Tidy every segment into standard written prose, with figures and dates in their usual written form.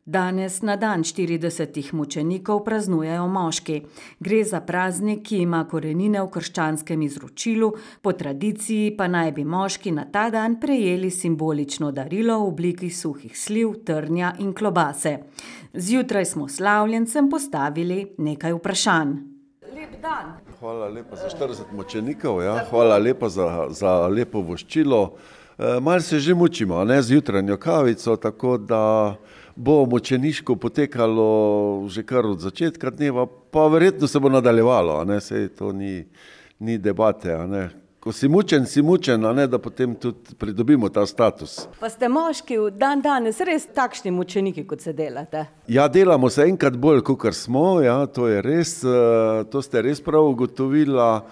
Danes na dan 40 mučenikov praznujejo moški. Gre za praznik, ki ima korenine v krščanskem izročilu, po tradiciji pa naj bi moški na ta dan prejeli simbolično darilo v obliki suhih sliv, trnja in klobase. Zjutraj smo slavljencem postavili nekaj vprašanj. Lep dan. Hvala lepa za 40 mučenikov, ja. Hvala lepa za lepo voščilo. Malo se že mučimo, ne, z jutranjo kavico, tako da bo mučeniško potekalo že kar od začetka dneva, pa verjetno se bo nadaljevalo, a ne, saj to ni debate, a ne. Ko si mučen, a ne, da potem tudi pridobimo ta status. Pa ste moški v danes res takšni mučeniki, kot se delate? Ja, delamo se enkrat bolj, kakor smo, ja, to je res, to ste res prav ugotovila.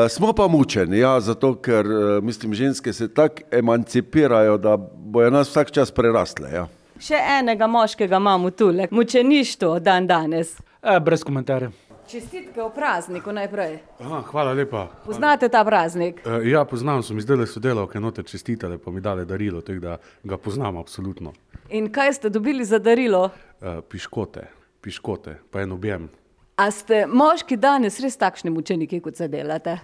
Smo pa mučeni, ja, zato ker, mislim, ženske se tako emancipirajo, da bojo nas vsak čas prerastle, ja. Še enega moškega imamo tule, mučeništvo danes. Brez komentarja. Čestitke o prazniku najprej. Hvala lepa. Poznate ta praznik? Ja, poznam, so mi zdajle sodelavke noter čestitale, pa mi dale darilo, tako da ga poznam absolutno. In kaj ste dobili za darilo? Piškote, pa en objem. A ste moški danes res takšni mučeniki, kot se delate?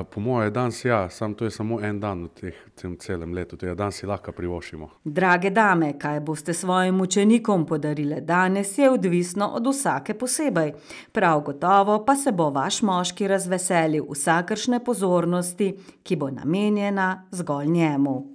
Po moje danes ja, to je samo en dan v tem celem letu, tega dan si lahko privoščimo. Drage dame, kaj boste svojim mučenikom podarile danes, je odvisno od vsake posebej. Prav gotovo pa se bo vaš moški razveselil vsakršne pozornosti, ki bo namenjena zgolj njemu.